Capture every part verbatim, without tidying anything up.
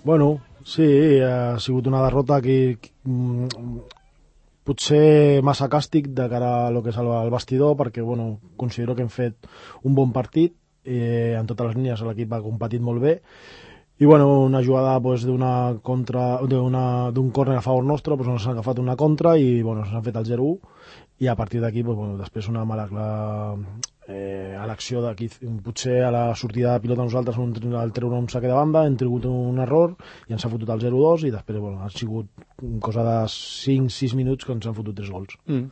Bueno, sí, ha sigut una derrota que potser massa càstig de cara a lo que és el vestidor, perquè bueno, considero que hem fet un bon partit, eh, en totes les línies l'equip ha competit molt bé, i bueno, una jugada pues, d'una contra d'un córner a favor nostre, pues, ens han agafat una contra i bueno, s'han fet el zero u, i a partir d'aquí pues, bueno, després una mala eh, a l'acció d'aquí, potser a la sortida de pilota nosaltres al treure un saque de banda hem tingut un error i ens ha fotut el zero dos i després bueno, ha sigut cosa de cinc sis minuts que ens han fotut tres gols. mm.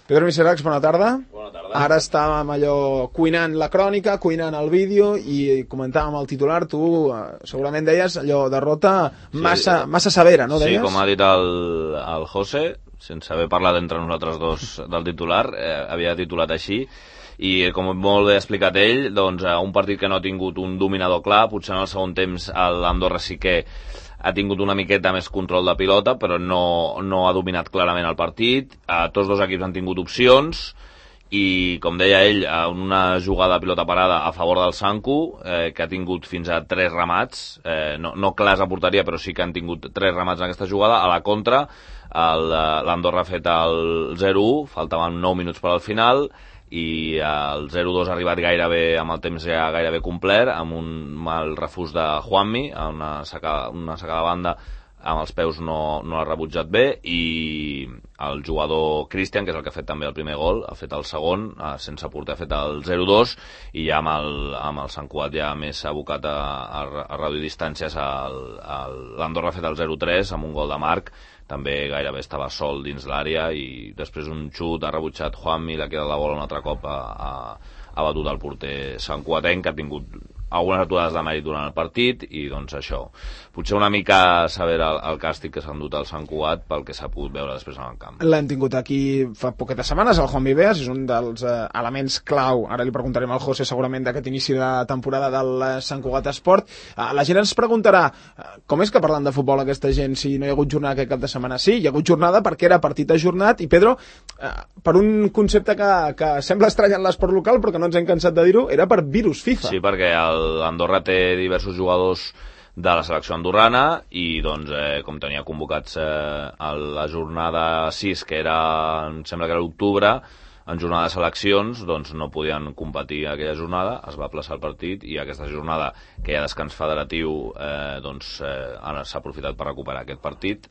Pedro Miseracs, bona tarda. Bona tarda. Ara estàvem allò cuinant la crònica, cuinant el vídeo i comentàvem el titular, tu eh, segurament deies allò derrota massa, sí, massa severa, no deies? Sí, com ha dit el, el José, sense haver parlat entre nosaltres dos del titular, eh, havia titulat així, i com molt bé ha explicat ell, doncs un partit que no ha tingut un dominador clar, potser en el segon temps l'Andorra sí que ha tingut una miqueta més control de pilota, però no, no ha dominat clarament el partit. Eh, tots dos equips han tingut opcions i, com deia ell, una jugada de pilota parada a favor del Sanku, eh, que ha tingut fins a tres remats, eh, no, no clars a porteria, però sí que han tingut tres remats en aquesta jugada. A la contra, l'Andorra ha fet el zero u, faltaven nou minuts per al final, i el zero dos ha arribat gairebé amb el temps ja gairebé complet, amb un mal refús de Juanmi, una sacada, una sacada de banda amb els peus no, no l'ha rebutjat bé, i el jugador Cristian, que és el que ha fet també el primer gol, ha fet el segon, sense porter ha fet el zero dos, i ja amb el, amb el Sant Cugat ja més abocat a, a, a reduir distàncies, l'Andorra ha fet el zero tres amb un gol de Marc, també gairebé estava sol dins l'àrea, i després un xut ha rebutjat Juanmi, l'ha quedat la bola un altre cop, ha, ha, ha batut el porter santcuatenc, que ha tingut algunes aturades de mèrit durant el partit, i doncs això, potser una mica saber el, el càstig que s'ha endut al Sant Cugat pel que s'ha pogut veure després en el camp. L'hem tingut aquí fa poquetes setmanes, el Juan Viveas, és un dels eh, elements clau, ara li preguntarem al José segurament d'aquest inici de temporada del Sant Cugat Esport. Eh, la gent ens preguntarà, eh, com és que parlant de futbol aquesta gent, si no hi ha hagut jornada aquest cap de setmana? Sí, hi ha hagut jornada perquè era partit ajornat, i Pedro, eh, per un concepte que, que sembla estrany en l'esport local, però que no ens hem cansat de dir-ho, era per virus FIFA. Sí, perquè l'Andorra té diversos jugadors de la selecció andorrana i doncs eh, com tenia convocats eh, a la jornada sis, que era, em sembla que era l'octubre, en jornada de seleccions, doncs no podien competir aquella jornada, es va aplaçar el partit, i aquesta jornada que hi ha descans federatiu eh, doncs eh, ara s'ha aprofitat per recuperar aquest partit.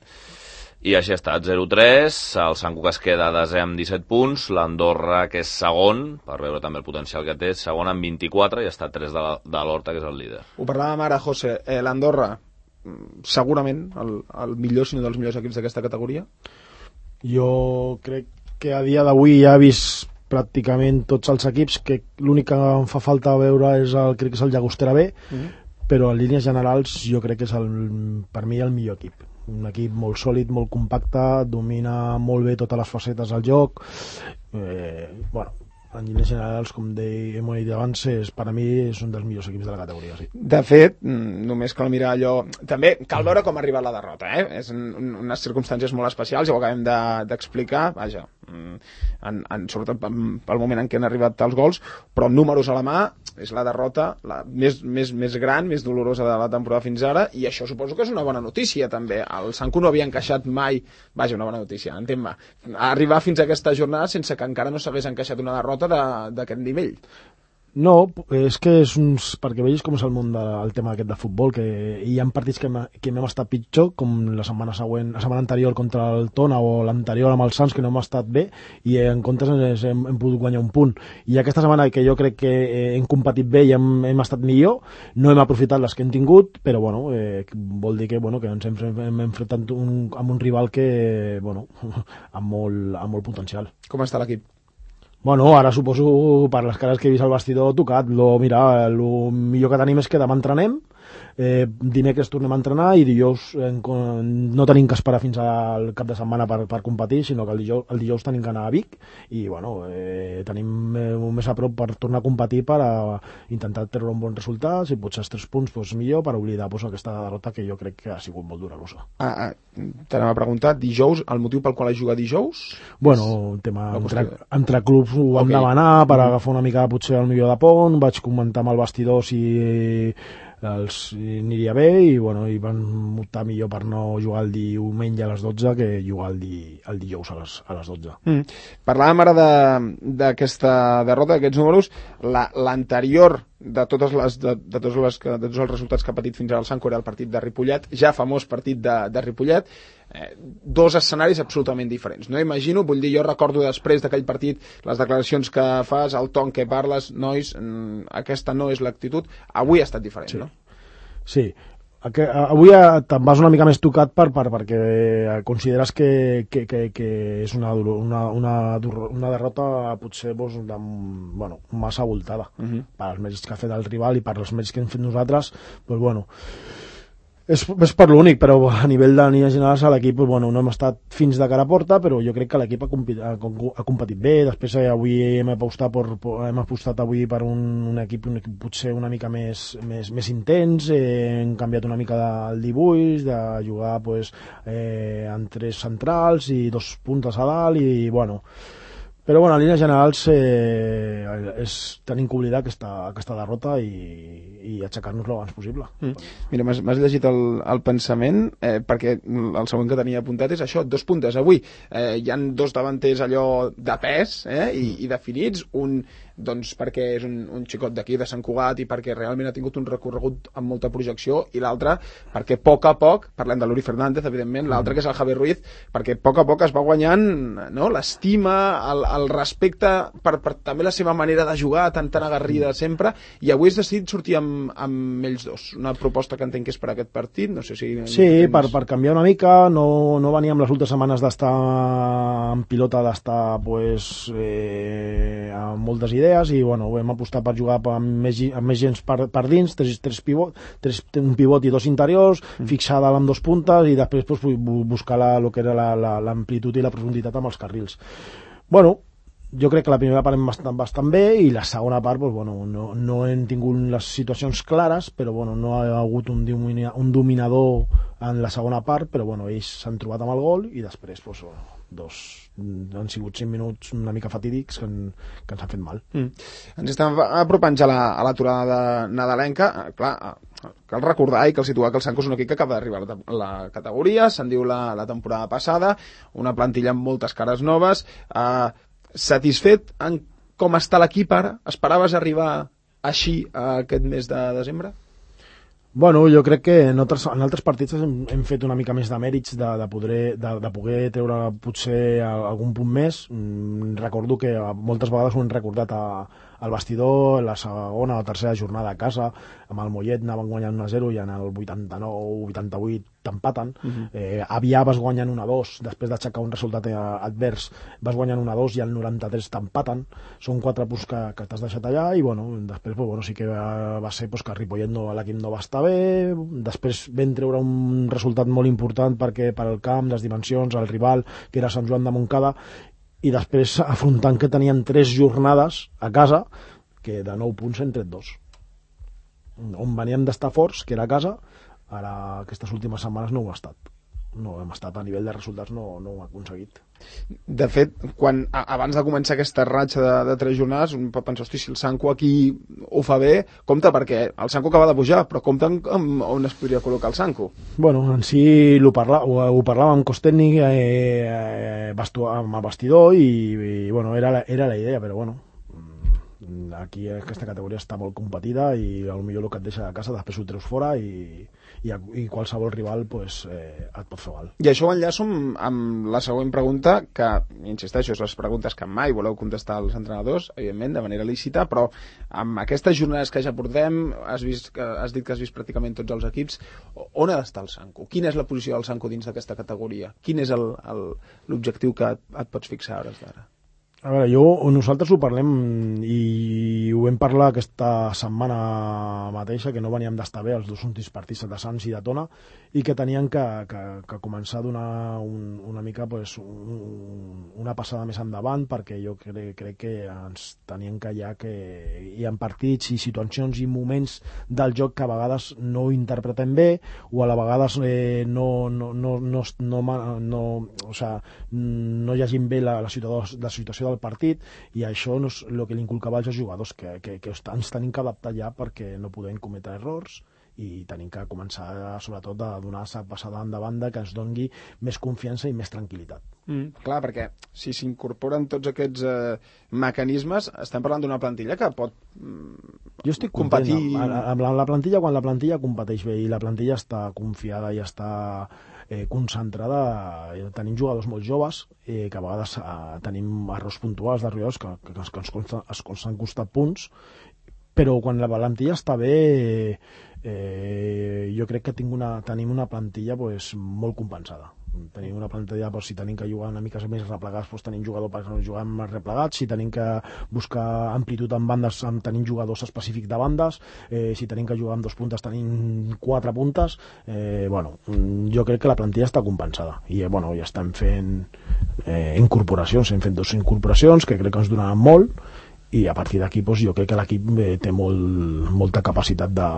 I així ha estat, zero tres, el Sant Cugat es queda desè amb disset punts, l'Andorra, que és segon, per veure també el potencial que té, segon amb vint-i-quatre, i està a tres de, de l'Horta, que és el líder. Ho parlàvem ara, José, eh, l'Andorra, segurament el, el millor, si no dels millors equips d'aquesta categoria? Jo crec que a dia d'avui ja he vist pràcticament tots els equips, que l'únic que em fa falta veure és el, crec que és el Llagostera B, mm-hmm. però en línies generals jo crec que és el, per mi el millor equip. Un equip molt sòlid, molt compacte, domina molt bé totes les facetes del joc. Eh, bueno, en línies generals, com hem dit abans, és, per a mi és un dels millors equips de la categoria. Sí. De fet, només cal mirar allò... També cal veure com ha arribat la derrota, eh? És en unes circumstàncies molt especials, ja ho acabem d'explicar, de, vaja, en, en, sobretot pel moment en què han arribat els gols, però números a la mà, és la derrota la més, més, més gran, més dolorosa de la temporada fins ara, i això suposo que és una bona notícia també. El Sanku no havia encaixat mai, vaja, una bona notícia, entén-me, arribar fins a aquesta jornada sense que encara no s'hagués encaixat una derrota d'aquest nivell. No, és que és uns... perquè vegis com és el món del tema aquest de futbol, que hi ha partits que, que hem estat pitjor, com la setmana següent, la setmana anterior contra el Tona, o l'anterior amb el Sants, que no hem estat bé, i en comptes hem, hem pogut guanyar un punt. I aquesta setmana, que jo crec que hem competit bé i hem, hem estat millor, no hem aprofitat les que hem tingut, però bueno, eh, vol dir que, bueno, que ens hem, hem enfrontat un, amb un rival que, bueno, amb molt, amb molt potencial. Com està l'equip? Bueno, ara suposo, per les cares que he vist al vestidor, tocat. Lo, mira, el millor que tenim és que demà entrenem, eh, dimecres tornem a entrenar, i dijous eh, no tenim que esperar fins al cap de setmana per, per competir, sinó que el dijous, el dijous tenim que anar a Vic, i bueno, eh, tenim eh, més a prop per tornar a competir, per a intentar treure un bon resultat, si potser els tres punts pues, millor, per oblidar pues, aquesta derrota que jo crec que ha sigut molt dolorosa. Ah, ah, t'anem a preguntar, dijous, el motiu pel qual has jugat dijous? Bueno, un tema entre, entre clubs ho vam okay. demanar per agafar una mica potser el millor de pont, vaig comentar amb el vestidor si els aniria bé i, bueno, i van optar millor per no jugar el diumenge a les dotze que jugar el, di, el dijous a les, a les dotze. Mm. Parlàvem ara d'aquesta de, derrota, d'aquests números. L'anterior de totes les, de, de, totes les, de tots els resultats que ha patit fins ara el Sanco era el partit de Ripollet, ja famós partit de, de Ripollet, eh, dos escenaris absolutament diferents. No imagino, vull dir, jo recordo després d'aquell partit les declaracions que fas, el ton que parles, nois, aquesta no és l'actitud. Avui ha estat diferent, sí. No? Sí. Avui te'n vas una mica més tocat per, per, perquè consideres que, que, que, que és una, una, una, una derrota potser doncs, de, bueno, massa voltada. Uh-huh. Per als mèrits que ha fet el rival i per als mèrits que hem fet nosaltres, doncs, bueno, és, és per l'únic, però a nivell de línies generals a l'equip bueno, no hem estat fins de cara a porta, però jo crec que l'equip ha, compet, ha, ha competit bé. Després eh, avui hem apostat, per, hem apostat avui per un, un, equip, un equip potser una mica més, més, més intens, eh, hem canviat una mica el dibuix, de jugar pues, eh, amb tres centrals i dos puntes a dalt i bueno... Però bueno, en línies generals eh, és tenim que oblidar aquesta, aquesta derrota i, i aixecar-nos lo abans possible. Mm. Mira, m'has llegit el, el pensament, eh, perquè el següent que tenia apuntat és això, dos puntes avui. Eh, hi han dos davanters allò de pes eh, i, i definits, un doncs perquè és un, un xicot d'aquí de Sant Cugat i perquè realment ha tingut un recorregut amb molta projecció, i l'altre perquè a poc a poc, parlem de l'Uri Fernández evidentment, l'altre que és el Javier Ruiz, perquè a poc a poc es va guanyant no, l'estima, el, el respecte per, per també la seva manera de jugar tan tan agarrida sempre, i avui has decidit sortir amb, amb ells dos, una proposta que entenc que és per aquest partit, no sé si... Sí, tens... per, per canviar una mica, no, no veníem les últimes setmanes d'estar en pilota, d'estar pues, eh, amb moltes idees, i bueno, hem apostat per jugar amb més, amb més gens per, per dins, tres, tres pivot, tres, un pivot i dos interiors, mm. fixar dalt amb dos puntes i després pues, buscar la, lo que era l'amplitud la, i la profunditat amb els carrils. Bueno, jo crec que la primera part hem bastant, bastant bé i la segona part pues, bueno, no, no hem tingut les situacions clares, però bueno, no ha hagut un, domina, un dominador en la segona part, però bueno, ells s'han trobat amb el gol i després pues, bueno, dos, han sigut cinc minuts una mica fatídics que, en, que ens han fet mal. Mm. Ens estem apropant ja a l'aturada nadalenca. Clar, cal recordar i cal situar que el Sanco és un equip que acaba d'arribar a la, la categoria, se'n diu la, la temporada passada, una plantilla amb moltes cares noves. Eh, satisfet en com està l'equip ara? Esperaves arribar així a aquest mes de desembre? Bueno, jo crec que en altres, en altres partits hem, hem fet una mica més de mèrits de, de, poder, de, de poder treure potser algun punt més. Mm, recordo que moltes vegades ho hem recordat a, al vestidor, la segona o tercera jornada a casa, amb el Mollet anaven guanyant un a zero i en el vuitanta-nou vuitanta-vuit t'empaten. Uh-huh. eh, Avià vas guanyant un a dos, després d'aixecar un resultat advers vas guanyant un a dos i al noranta-tres t'empaten. Són quatre punts que, que t'has deixat allà i bueno, després pues, bueno, sí que va, va ser pues, que Ripollet no, l'equip no va estar bé, després vam treure un resultat molt important perquè per al camp, les dimensions, el rival que era Sant Joan de Montcada, i després afrontant que tenien tres jornades a casa que de nou punts hem tret dos, on veníem d'estar forts, que era a casa. Ara aquestes últimes setmanes no ho ha estat, no hem estat a nivell de resultats, no, no ho ha aconseguit. De fet, quan, abans de començar aquesta ratxa de, de tres jornades, un pot pensar, hosti, si el Sanco aquí ho fa bé, compte, perquè el Sanco acaba de pujar, però compte amb on es podria col·locar el Sanco. Bueno, en si ho, parla, ho, ho parlàvem amb cos tècnic, eh, eh, bastu, amb el vestidor, i, i bueno, era la, era la idea, però bueno, aquí aquesta categoria està molt competida i potser el que et deixa de casa després ho treus fora i, i, i qualsevol rival pues, eh, et pot fer mal. I això ho enllaço amb, amb la següent pregunta, que insisteixo, és les preguntes que mai voleu contestar als entrenadors, evidentment de manera lícita, però amb aquestes jornades que ja portem, has, vist, has dit que has vist pràcticament tots els equips, on ha d'estar el Sanco? Quina és la posició del Sanco dins d'aquesta categoria? Quin és l'objectiu que et, et pots fixar a hores d'ara? A veure, jo, nosaltres ho parlem i ho vam parlar aquesta setmana mateixa, que no veníem d'estar bé els dos últims partits de Sants i de Tona, i que tenien que, que, que començar a donar un, una mica pues, un, una passada més endavant, perquè jo crec, crec que ens tenien que ja que hi ha partits i situacions i moments del joc que a vegades no interpretem bé, o a la vegades eh, no, no, no, no, no, no, o sea, no llegim bé la, la situació, la situació del partit, i això no és el que li inculcava als jugadors, que, que, que ens tenim que adaptar ja perquè no podem cometre errors i tenim que començar sobretot a donar la passada de banda que ens doni més confiança i més tranquil·litat. Mm, clar, perquè si s'incorporen tots aquests eh, mecanismes, estem parlant d'una plantilla que pot mm, jo estic competir... content amb, amb la, la plantilla, quan la plantilla competeix bé i la plantilla està confiada i està eh, concentrada, eh, tenim jugadors molt joves, eh, que a vegades eh, tenim errors puntuals de rivals que, que, que ens, consta, ens han costat punts, però quan la plantilla està bé, eh, jo crec que tinc una, tenim una plantilla pues, molt compensada. Tenim una plantilla, pues, si tenim que jugar una mica més replegats, pues, tenim jugadors per jugar més replegats, si tenim que buscar amplitud en bandes, tenim jugadors específics de bandes, eh, si tenim que jugar amb dos puntes, tenim quatre puntes. Eh, bueno, jo crec que la plantilla està compensada i eh, bueno, ja estem fent eh, incorporacions, hem fet dues incorporacions que crec que ens donaran molt, i a partir d'aquí doncs, jo crec que l'equip eh, té molt, molta capacitat de,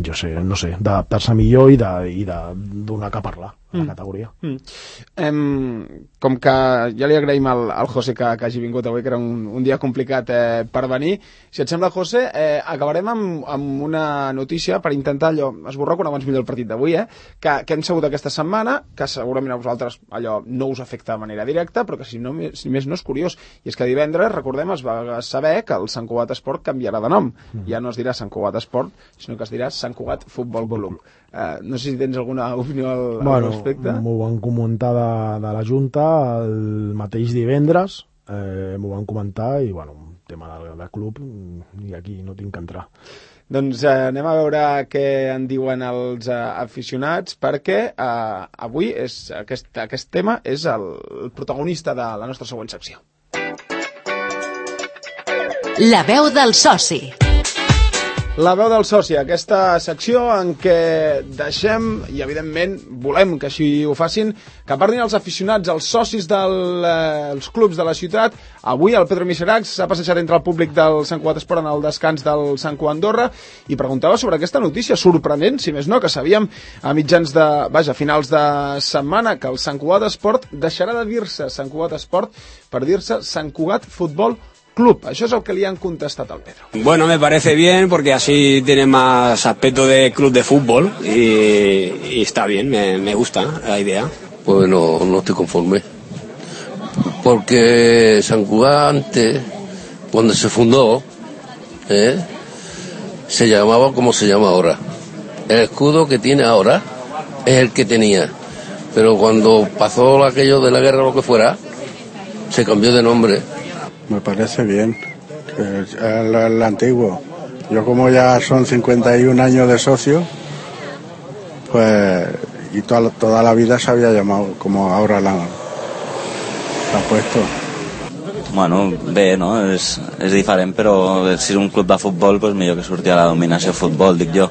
jo sé, no sé, d'adaptar-se millor i de, i de donar que parlar a la mm. categoria. Mm. Em, com que ja li agraïm al, al José que, que hagi vingut avui, que era un, un dia complicat eh, per venir, si et sembla, José, eh, acabarem amb, amb una notícia per intentar allò, esborrar quan abans millor el partit d'avui, eh, que, que hem sabut aquesta setmana, que segurament a vosaltres allò no us afecta de manera directa, però que si, no, si més no és curiós, i és que divendres, recordem, es va saber que el Sant Cugat Esport canviarà de nom. Mm. Ja no es dirà Sant Cugat Esport, sinó que es dirà Sant Cugat Futbol Club. Uh, no sé si tens alguna opinió al, bueno, al respecte. M'ho van comentar de, de la Junta el mateix divendres, eh, m'ho van comentar i bueno, un tema de, de club i aquí no tinc que entrar. Doncs eh, anem a veure què en diuen els eh, aficionats, perquè eh, avui és, aquest, aquest tema és el, el protagonista de la nostra següent secció. La veu del soci. La veu del soci, aquesta secció en què deixem, i evidentment volem que així ho facin, que parlin els aficionats, els socis dels eh, clubs de la ciutat. Avui el Pedro Miseracs s'ha passejat entre el públic del Sant Cugat Esport en el descans del Sant Cugat Andorra i preguntava sobre aquesta notícia sorprenent, si més no, que sabíem a mitjans de, vaja, finals de setmana, que el Sant Cugat Esport deixarà de dir-se Sant Cugat Esport per dir-se Sant Cugat Futbol Club. Això és el que li han contestat al Pedro. Bueno, me parece bien porque así tiene más aspecto de club de fútbol y, y está bien, me, me gusta la idea. Pues no, no estoy conforme. Porque Sant Cugat antes, cuando se fundó, ¿eh? se llamaba como se llama ahora. El escudo que tiene ahora es el que tenía. Pero cuando pasó aquello de la guerra o lo que fuera, se cambió de nombre. Me parece bien, el, el, el antiguo. Yo como ya son cincuenta y un años de socio, pues, y toda, toda la vida se había llamado como ahora la, la puesto. Bueno, bé, no? És, és diferent, però si és un club de futbol, doncs millor que surti a la dominació futbol, dic jo.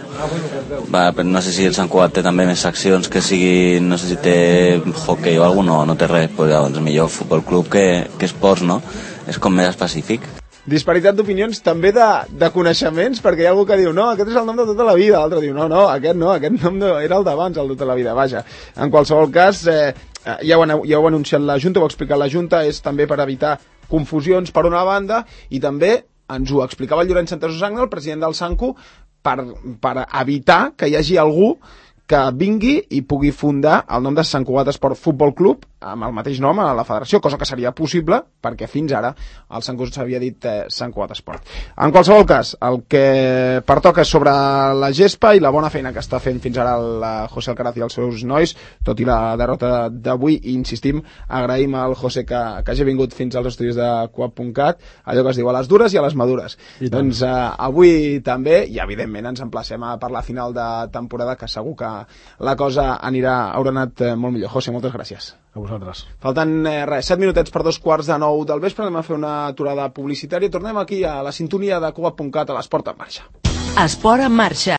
Va, no sé si el Sant Cugat té també més seccions que sigui, no sé si té hockey o alguna, no, no té res, doncs llavors millor futbol club que, que esports, no? És com més específic. Disparitat d'opinions, també de, de coneixements, perquè hi ha algú que diu, no, aquest és el nom de tota la vida, l'altre diu, no, no, aquest no, aquest nom no, era el d'abans, el de tota la vida, vaja. En qualsevol cas, eh, ja, ho han, ja ho ha anunciat la Junta, ho ha explicat la Junta, és també per evitar confusions per una banda, i també ens ho explicava el Llorenç Santasusagna, el president del Sancu, per, per evitar que hi hagi algú que vingui i pugui fundar el nom de Sant Cugat Esport Futbol Club amb el mateix nom a la federació, cosa que seria possible perquè fins ara el Sant Cugat s'havia dit eh, Sant Cugat Esport. En qualsevol cas, el que pertoca és sobre la gespa i la bona feina que està fent fins ara el José Alcaraz i els seus nois, tot i la derrota d'avui, i insistim, agraïm al José que, que hagi vingut fins als estudis de Coop punt cat, allò que es diu a les dures i a les madures. Doncs eh, avui també, i evidentment ens emplacem a per la final de temporada, que segur que la cosa anirà, haurà anat eh, molt millor. José, moltes gràcies. A vosaltres. Falten eh, res, set minutets per dos quarts de nou del vespre, anem a fer una aturada publicitària i tornem aquí a la sintonia de Coop punt cat a l'Esport en Marxa. Esport en Marxa.